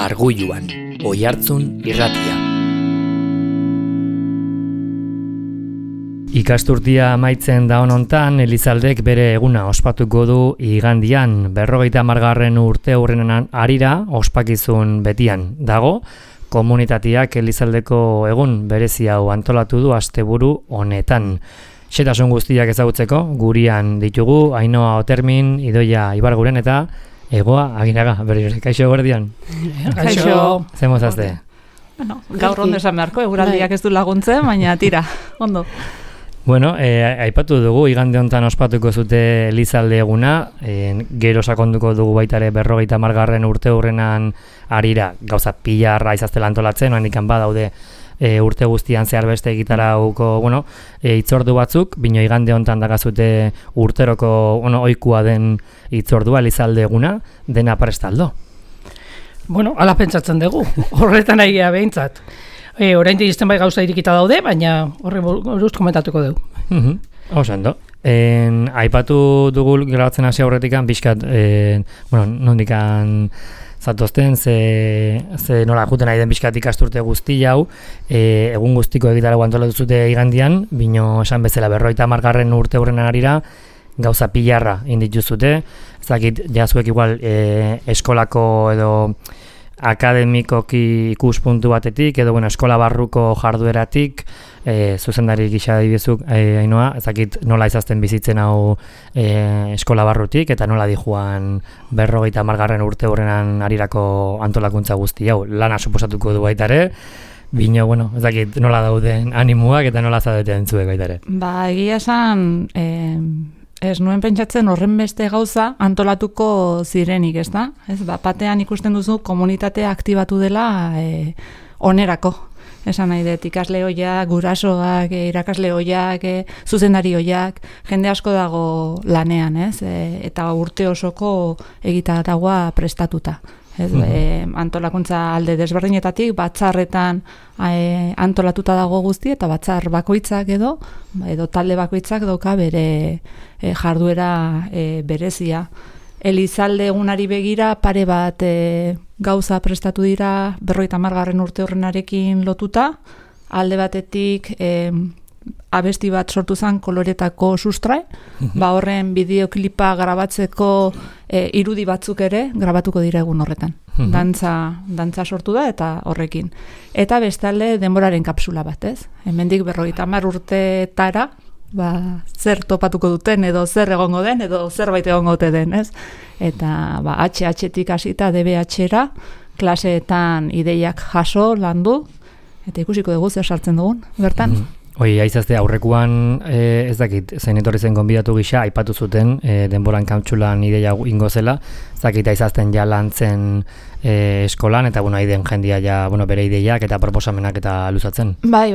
Arguluan, Oihartzun irratia. Ikasturtia amaitzen da honontan, Elizaldek bere eguna ospatuko du igandian, 50. urte hurrenan harira ospakizun betian dago. Komunitateak Elizaldeko egun berezi hau antolatu du asteburu honetan. Xetasun guztiak ezagutzeko, gurian ditugu, Ainhoa Otermin, Idoia Ibarguren eta Egoa Aginaga, berri kaixo gordian. Kaixo. Zemozazte? Bueno, gaur ondo esan beharko, eguraldiak ez du laguntzen, baina tira, ondo. Bueno, aipatu dugu, igande honetan ospatuko zute Elizalde eguna, gero sakonduko dugu baita ere 50. urte hurrenan harira, gauza pilarra izaztela antolatzen, handikan badaude urte guztian zehar beste egitarauko, hitzordu batzuk, bino igande honetan dagazute urteroko, ohikoa den hitzordua Elizalde eguna, dena prestaldo. Bueno, ala pentsatzen dugu, horretan aigea behintzat. Oraindik izten bai gauza irikita daude, baina horre buruz komentatuko dugu. Osando. Aipatu dugu grabatzen hasi aurretikan, pixkat, nondikan zatozten, ze nola juten nahi den pixkat ikasturte guzti hau, egun guztiko egitarago antolatu zute igandian, bino esan bezala 50. urte hurrenan harira, gauza pilarra indituzute, ezakit jazuek igual eskolako edo akademikoki ikuspuntu batetik, edo eskola barruko jardueratik, zuzendari gisa dibizuk, Ainhoa, ezakit nola izazten bizitzen hau eskola barrutik, eta nola dijuan 50. urte hurrenan harirako antolakuntza guzti hau, lana suposatuko du baita ere, bino, ezakit nola dauden animuak eta nola zadeten zuek baita ere. Ba, egia esan, ez nuen pentsatzen horren beste gauza antolatuko zirenik, ez da? Batean ikusten duzu komunitatea aktibatu dela onerako. Esan nahi dut, ikasle hoiak, gurasoak, irakasle hoiak, zuzendari hoiak, jende asko dago lanean, ez? Eta urte osoko egitaragua prestatuta. Antolakuntza alde desberdinetatik, batzarretan antolatuta dago guzti, eta batzar bakoitzak edo talde bakoitzak dauka bere jarduera berezia. Elizalde egunari begira pare bat gauza prestatu dira 50. urte horrenarekin lotuta, alde batetik abesti bat sortu zen koloretako sustrai, horren bideoklipa grabatzeko irudi batzuk ere grabatuko dira egun horretan. Dantza sortu da eta horrekin. Eta bestalde denboraren kapsula bat, ez? Hemendik 50 urtetara, zer topatuko duten edo zer egongo den edo zerbait egongo den, ez? Eta HH-tik hasita DBH-era klaseetan ideiak jaso, landu, eta ikusiko dugu zer sartzen dugun, bertan. Aizazte, aurrekuan ez dakit, zein etorri zen gonbidatu gisa, aipatu zuten denboran kapsulan ideia ingo zela, ez dakit aizazten ja lantzen eskolan, eta aiden jendia ja bere ideiak eta proposamenak eta luzatzen. Bai,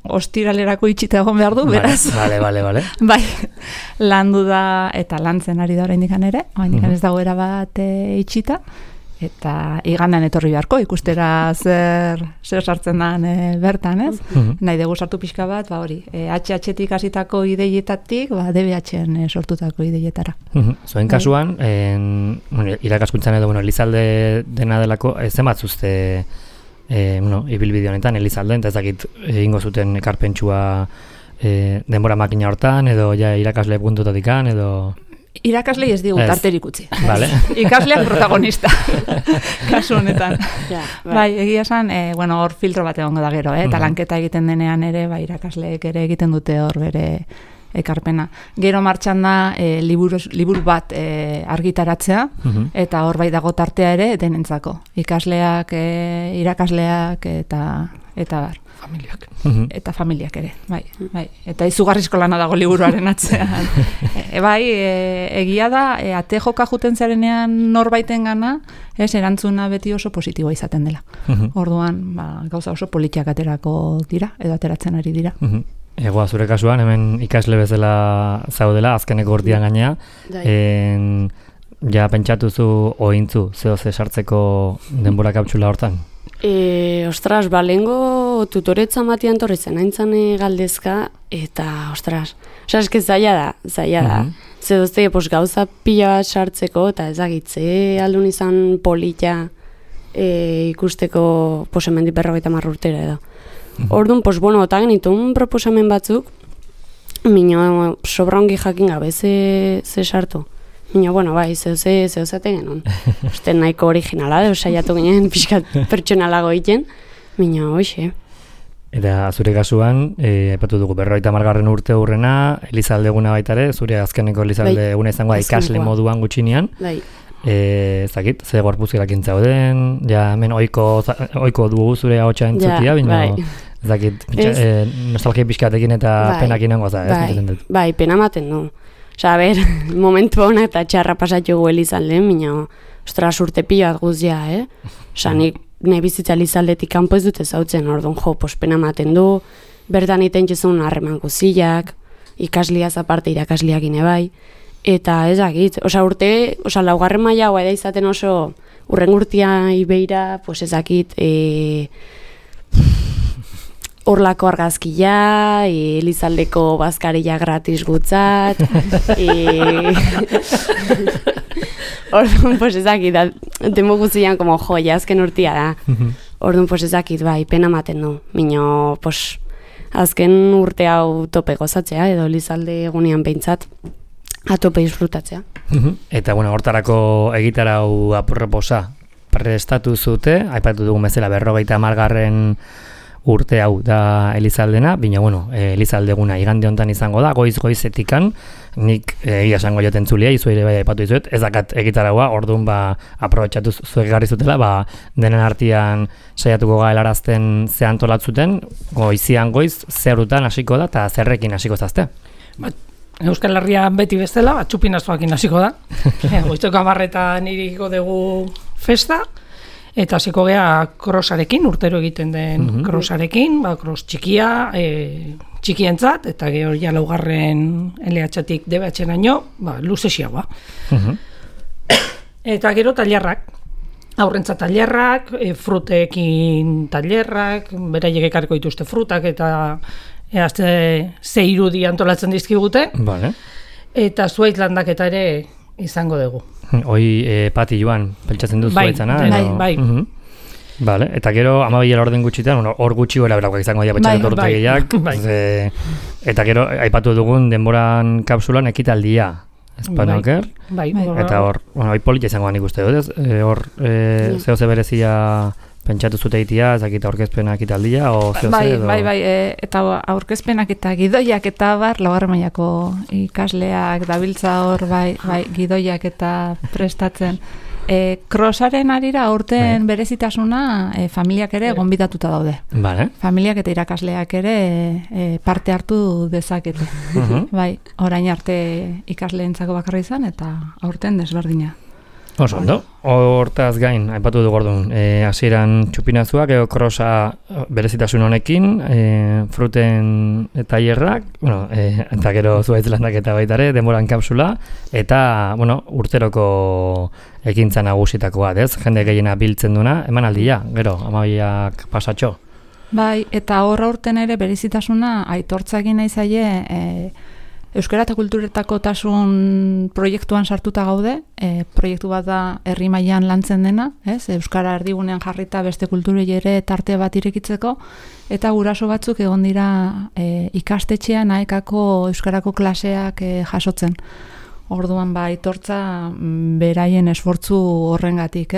ostiralerako itxita egon behar du, beraz. Bale. Bai, landu da eta lantzen ari da oraindikan ere, oraindikan ez dago erabat itxita. Eta igandean etorri beharko, ikustera zer sartzen den bertan, ez? Nahi dugu sartu pixka bat, hori, HH-tik hasitako ideietatik, DBH-en sortutako ideietara. Zoen kasuan, irakaskuntzan edo, Elizalde dena delako, zenbat zuzte ibilbide honetan, Elizalde, eta ezakit egingo zuten ekarpentsua denbora makina hortan, edo irakasle puntutatikan, edo... Irakaslei ez digu tarterik utzi. Vale. Ikasleak protagonista. Kasu honetan. Bai, egia esan, hor filtro bat egongo da gero, eta lanketa egiten denean ere, irakasleek ere egiten dute hor bere ekarpena. Gero martxan da liburu bat argitaratzea, eta hor bai dago tartea ere denentzako. Ikasleak, irakasleak eta bar. Familiak. Eta familiak ere, bai. Eta izugarrizko lana dago liburuaren atzean. Egia da, ate joka juten zarenean norbaiten gana, erantzuna beti oso positiboa izaten dela. Orduan, gauza oso politiak aterako dira, edo ateratzen ari dira. Egoa, zure kasuan, hemen ikasle bezala zaudela, azkeneko urtean gainea, ja pentsatuzu ointzu, ze sartzeko denbora kapsula hortan? Ostras, lehengo tutoretza matian torri zen, haintzan galdezka, eta, ostras, eske zaila da. Ze dozte, gauza pila bat sartzeko, eta ezagitze aldun izan polita ikusteko hemendik 50 urtera edo. Orduan, bueno, eta genitun proposamen batzuk, mino sobra ongi jakin gabe ze sartu. Mino, bueno, bai, zehozate genuen. Uste nahiko originala, saiatu ginen pixkat pertsonalago egiten, mino, hoxe. Eta zure kasuan, aipatu dugu 50. urte hurrena, Elizaldeguna baita ere, zure azkeneko Elizaldeguna izango da ikasle moduan gutxinean. Bai. Zakit, ze gorpuzkerak intzauden, ja hemen oiko dugu zure ahotsa entzutia, baina zakit, nostalgia pixkatekin eta penakin nengo za, ez? Bai, pena maten du. Osa, momentu hona eta txarra pasatu gu Elizalden, baina, ostras, urte pila guztia, Osa, ne bizitza Elizaldetik kanpo ez dute zautzen, orduan pena maten du, bertan iten jezun harreman guztiak, ikasliaz aparte irakasliak ine bai, eta ezakit, laugarren maila hau eda izaten oso urren urtia ibeira, ezakit, Horlako argazkia, Elizaldeko bazkaria gratis gutzat, orduan, ezakit, temo guztian, azken urtia da. Orduan, ezakit, bai, pena maten du. Mino, azken urte hau tope gozatzea, edo Elizalde egunean behintzat, atope disfrutatzea. Eta, hortarako egitarau aproposa prestatu zute, aipatu dugu bezala 50. urte hau da Elizaldena, bina, Elizaldeguna igande hontan izango da, goizetikan, nik egia esango joten zulia, izu ere bai aipatu izuet, ez dakat egitaragoa, orduan aprobetxatu zuek garri zutela, denen artean saiatuko gaelarazten ze antolatzuten, goizian goiz, zerutan hasiko da, eta zerrekin hasiko zazte. Euskal Herria beti bestela, txupinaztoakin hasiko da, goizteko 10:00 iriko dugu festa, eta hasiko gea krosarekin, urtero egiten den krosarekin, kros txikia, txikientzat, eta gero ja laugarren LH-tik DBH-naino, luzexiagoa. Eta gero tailerrak, aurrentzat tailerrak, frutekin tailerrak, beraiek ekarriko dituzte frutak, eta ze irudi antolatzen dizkigute, eta zuaitz landaketa ere izango dugu. Hoi Pati Joan, peltsatzen dut zuaitzana? Bai. Vale, eta gero 12 orden gutxitan, hor gutxi gora berakoak izango dira petxatzen ortegiak, eta gero aipatu dugun denboran kapsulan ekitaldia, espanoker, eta hor, hoi polita izango nik uste dut, hor zehose berezia pentsatu zute egitea, ezakita aurkezpena ekitaldia, o zehose edo? Bai, eta aurkezpenak eta gidoiak eta laugarren mailako ikasleak dabiltza hor, gidoiak eta prestatzen. Krosaren arira aurten berezitasuna familiak ere gonbidatuta daude. Familiak eta irakasleak ere parte hartu dezakete. Orain arte ikasleentzako bakarra izan eta aurten desberdina. Oso, ondo. Hortaz gain, aipatu dugu orduan, hasieran txupinazuak, krosa berezitasun honekin, fruten tailerrak, eta gero zuaitz landaketa baitare, denboran kapsula, eta, urteroko ekintza nagusitakoa, jende gehiena biltzen duna, emanaldia, gero, 12 pasatxo. Bai, eta horra urten ere berezitasuna aitortza egin nahi zaie, Euskara eta kulturetako tasun proiektuan sartuta gaude, proiektu bat da herri mailan lantzen dena, Euskara erdigunean jarrita beste kulturei ere tarte bat irekitzeko, eta guraso batzuk egon dira ikastetxean aekako euskarako klaseak jasotzen. Orduan aitortza beraien esfortzu horrengatik,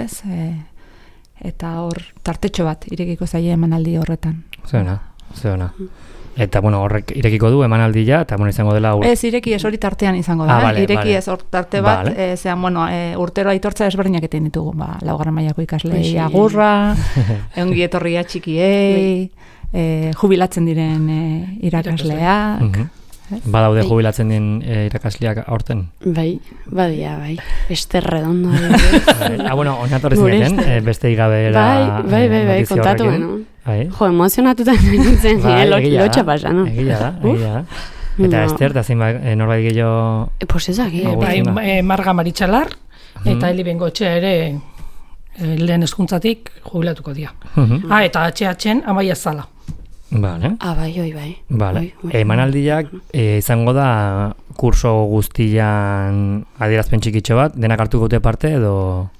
eta hor tartetxo bat irekiko zaie emanaldi horretan. Zeona. Eta, horrek irekiko du emanaldia, eta, izango dela... Ez, ireki ez hori tartean izango da. Ireki ez hor tarte bat, urtero aitortza ezberdinak eten ditugu. Laugarren mailako ikaslei agurra, ongi etorria txikiei, jubilatzen diren irakasleak. Badaude jubilatzen den irakasleak aurten? Bai, badia, bai. Beste redondo. Oinatorri zineten, beste igabera... Bai, kontatu beno. Jo, emozionatuta nintzen, lotxa pasa, no? Egia da. Eta Ester, eta zein norbait gehiago... Pues ezak, Marga Maritxalar, eta Eli Bengotxea ere lehen hezkuntzatik jubilatuko dira. Eta HH-en Amaia Zala. Vale. Bai. Vale. Emanaldiak izango da kurso guztian adierazpen txikitxo bat, denak hartuko dute parte edo...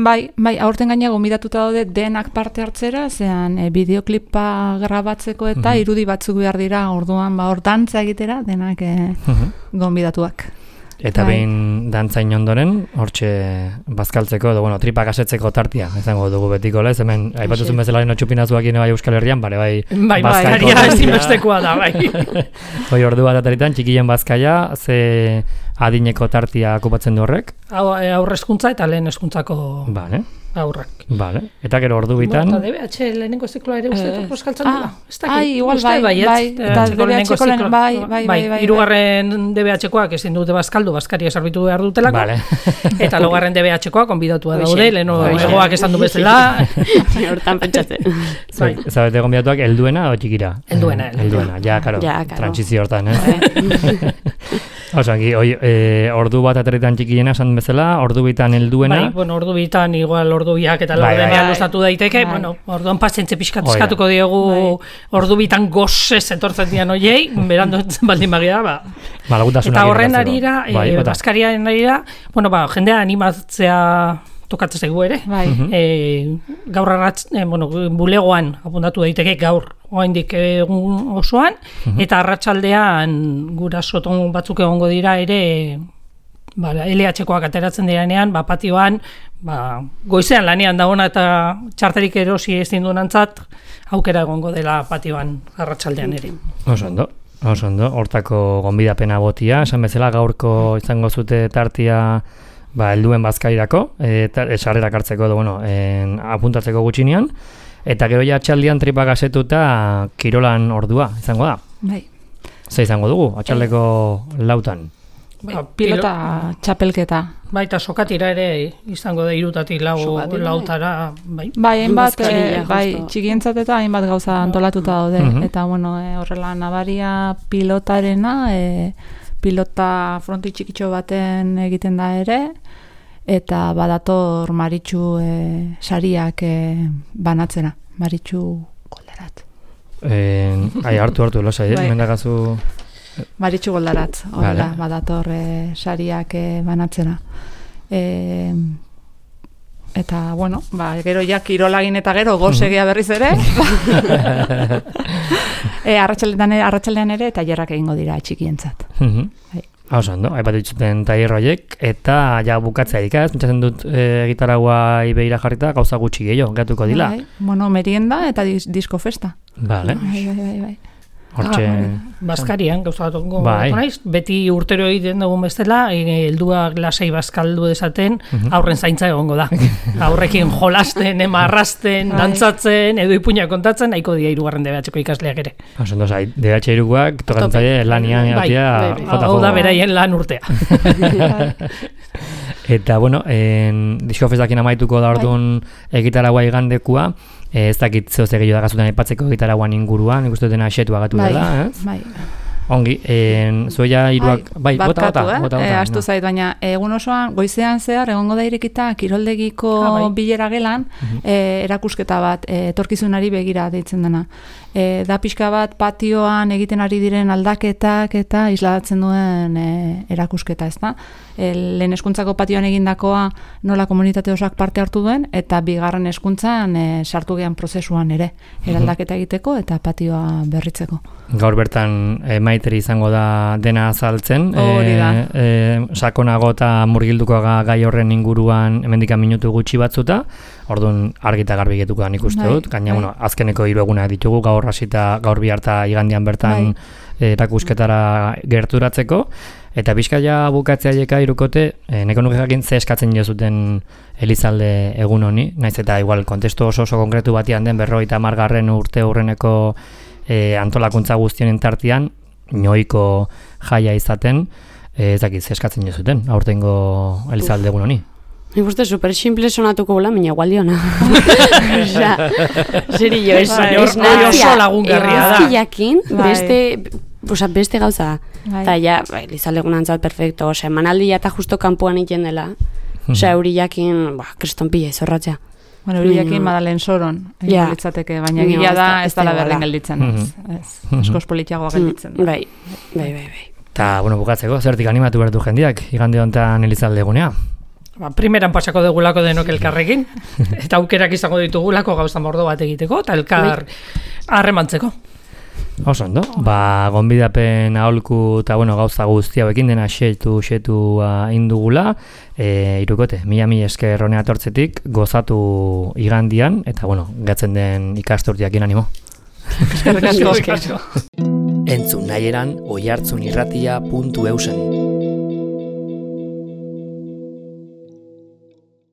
Bai, aurten gaina gomidatuta daude denak parte hartzera, zean bideoklipa grabatzeko eta irudi batzuk behar dira, orduan hor dantza egitera, denak gomidatuak. Eta behin dantzain ondoren, hortxe bazkaltzeko, edo, tripak asetzeko tartia, izango dugu betiko, lez, hemen, aipatuzun bezala txupinazuak bai Euskal Herrian, bai, bazkaria ezinbestekoa da, bai. Hoi ordu bat ataritan, txikien bazkaia, ze adineko tartia okupatzen du horrek? Aurrezkuntza eta lehen hezkuntzako aurrak. Vale. Eta gero ordu bitan... Eta DBH lehenengo zikloa ere uste poskaltzen dela? Igual bai. Eta DBH-ko lehen, bai. Hirugarren DBH-koak ezin dute bazkaldu, bazkaria sarbitu behar dutelako. Eta laugarren DBH-koak konbidatua daude, leheno egoak esan du bezala. Hortan pentsatzen. Zabete konbidatuak, helduena o txikira? Helduena. Ja, karo, trantzizio hortan, Osangi, ordu bat aterritan txikiena esan bezala, ordu bitan helduena. Ordu bitan, igual ordu biak eta laurdenean luztatu daiteke, orduan pazientze pixkat eskatuko diegu ordu bitan gozez etortzen dian oiei, berando baldin bagia, Eta horren arira, bazkariaren arira, jendea animatzea tokatzen zaigu ere. Gaur bulegoan apuntatu daiteke gaur oraindik egun osoan, eta arratsaldean gurasoton batzuk egongo dira ere LH-koak ateratzen direnean, patioan, goizean lanean dagoena eta txarterik erosi ezin duenantzat aukera egongo dela patioan arratsaldean ere. Oso ondo, hortako gonbidapena botia, esan bezala gaurko izango zute tartia helduen bazkairako, sarrerak hartzeko apuntatzeko gutxinean, eta gero ja atxaldian tripak asetuta kirolan ordua izango da. Bai. Ze izango dugu, atxaldeko lautan? Pilota txapelketa. Eta sokatira ere izango da 3 lautara. Hainbat, txikientzat eta hainbat gauza antolatuta daude. Eta horrela nabaria pilotarena, pilota fronti txikitxo baten egiten da ere, eta badator Maritxu sariak banatzera, Maritxu Goldarat. Hartu, losa, mendagazu... Maritxu Goldarat, horrela, badator sariak banatzera. Eta, gero ja kirolagin eta gero gozegia berriz ere. Arratsaldean ere eta jarrak egingo dira txikientzat. Ondo, aipat dituzten taierroiek, eta ja bukatzea ikaz, pentsatzen dut gitaragua ibeira jarrita, gauza gutxi gehiago, gatuko dila. Merienda eta disko festa. Bai. Hortxe... Bazkarian, gauza bat naiz, beti urtero egiten dugun bestela, helduak lasai bazkaldu dezaten, aurren zaintza egongo da. Aurrekin jolasten, marrasten, dantzatzen, edo ipuñak kontatzen, nahiko dira 3. DBH-ko ikasleak ere. Ondo, DBH-irukoak tokantzaile lanian egotia jota. Hau da beraien lan urtea. Eta, disko festakin amaituko da orduan egitaragua igandekua, ez dakit zeo zegillo da gazutan aipatzeko gitaraguan inguruan, ikustu dena asetu agatu dela, Bai. Ongi, zuea hiruak... Bota. Astu zait, baina egun osoan, goizean zehar, egongo da irekita, kiroldegiko bilera gelan, erakusketa bat, etorkizunari begira deitzen dena. Da pixka bat patioan egiten ari diren aldaketak eta isladatzen duen erakusketa, ez da? Lehen hezkuntzako patioan egindakoa nola komunitate osak parte hartu duen, eta bigarren hezkuntzan sartu gehan prozesuan ere, eraldaketa egiteko eta patioa berritzeko. Gaur bertan Maiteri izango da dena azaltzen, sakonago eta murgilduko gai horren inguruan hemendikan minutu gutxi batzuta, orduan argita garbi getuko da nik uste dut, gaina azkeneko 3 egunak ditugu, gaur hasita gaur biharta igandian bertan erakusketara gerturatzeko, eta bizkaia bukatzea jeka irukote, neko nuke jakin ze eskatzen jozuten Elizalde egun honi, naiz eta igual kontestu oso konkretu batian den 50. urte hurreneko antolakuntza guztionen tartian, inoiko jaia izaten, ez dakit ze eskatzen jozuten, aurtengo Elizalde egun honi. Nik uste super simple sonatuko gula, mina gualdiona. Serio, ez oso lagungarria da. Egazkiakin, beste gauza. Eta ja, Elizalde egunantzat perfecto, emanaldia eta justo kanpoan iten dela. Euriakin, kriston pila izorratzea. Euriakin Madalen Soron, litzateke, baina gila da ez dala berdin gelditzen. Eskoz politiagoa gelditzen. Bai. Eta, bukatzeko, zertik animatu berdu jendiak, igande honetan Elizalde egunea? Primeran pasako dugulako denok elkarrekin, eta aukerak izango ditugulako gauza mordo bat egiteko, eta elkar harremantzeko. Oso ondo, gonbidapen aholku eta gauza guzti hauekin dena xetu indugula, Irukote, mila esker honea tortzetik, gozatu igandian, eta gatzen den ikasturtiakin animo. Eskerrik asko. Entzun nahieran oihartzunirratia.eusen